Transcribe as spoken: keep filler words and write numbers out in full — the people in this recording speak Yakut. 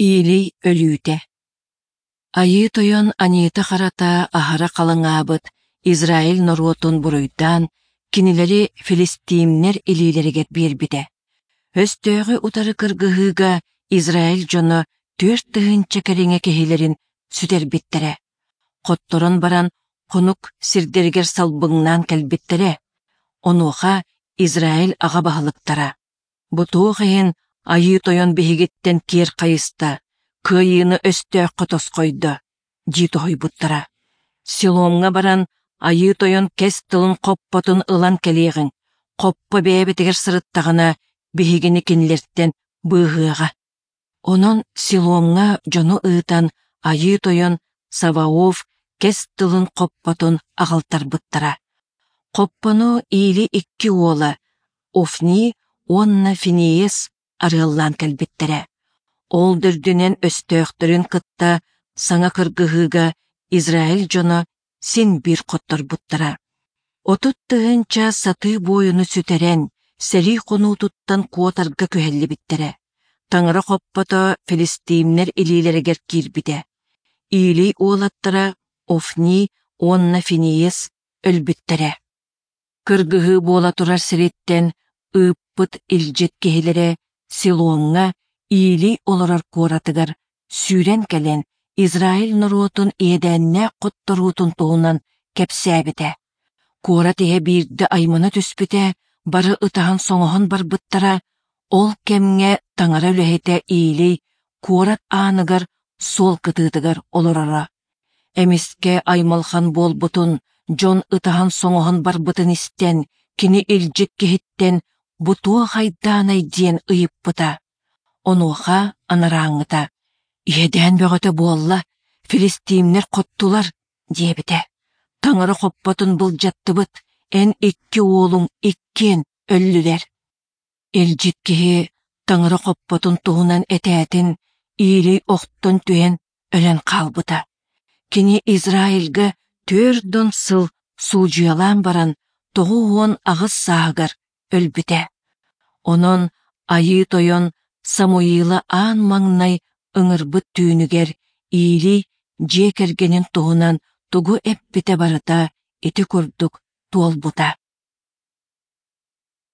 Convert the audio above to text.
Илий өлүүтэ Айыы Тойон аньыыта-харата аһара халыҥаабыт Израиль норуотун буруйдаан, кинилэри филистимнэр илиилэригэр биэрбитэ. Өстөөҕү утары кыргыһыыга Израиль дьоно түөрт тыһыынча кэриҥэ киһилэрин сүтэрбиттэрэ. Хотторон баран хонук сирдэригэр салбыҥнаан кэлбиттэрэ. Онуоха Израиль аҕа баһылыктара: «Бу туох иһин Айыы Тойон биһигиттэн киэр хайыста, кыайыыны өстөөххө тосхойдо?» дии тоһуйбуттара. Силомҥа баран Айыы Тойон кэс тылын хоппотун ылан кэлиэҕиҥ, хоппо бэйэбитигэр сырыттаҕына, биһигини кинилэртэн быыһыаҕа. Онон Силомҥа дьону ыытан Айыы Тойон Саваоф кэс тылын хоппотун аҕалтарбыттара. Хоппону Или икки уола Офни уонна Финиес арыаллаан кэлбиттэрэ. Ол дөрдүнэн өстөөхтөрүн кытта саҥа кыргыһыыга Израиль дьоно син биир хотторбуттара. Отут тыһыынча сатыы буойуну сүтэрэн, сэрии хонуутуттан куотарга күһэллибиттэрэ. Таҥара хоппото филистимнэр илиилэригэр киирбитэ. Илий уолаттара Офни уонна Финиес өлбүттэрэ. Кыргыһыы буола турар сириттэн ыыппыт илдьит киһилэрэ Силомҥа Илий олорор куоратыгар сүүрэн кэлэн Израиль норуотун иэдээннээх хотторуутун туһунан кэпсээбитэ. Куорат иһэ биирдэ аймана түспүтэ, бары ытаһан-соҥоһон барбыттара. Ол кэмҥэ таҥара үлэһитэ Илий куорат ааныгар суол кытыытыгар олороро. Эмискэ аймалхан буолбутун, дьон ытаһан-соҥоһон барбытын истэн, кини илдьит киһиттэн «Бу туох айдаанай?» диэн ыйыппыта. Онуоха анарааҥҥыта «Иэдээн бөҕөтө буолла, филистимнэр хоттулар» диэбитэ. «Таҥара хоппотун былдьаттыбыт, эн икки уолуҥ иккиэн өллүлэр». Илдьит киһи таҥара хоппотун туһунан этээтин, Илий охтон түһэн өлөн хаалбыта. Кини Израильга түөрт уон сыл суудьуйалаан баран тоҕус уон аҕыс сааһыгар өлбүтэ. Онон Айыы Тойон Самуила аан маҥнай ыҥырбыт түүнүгэр Илий дьиэ кэргэнин туһунан тугу эппитэ барыта ити курдук туолбута.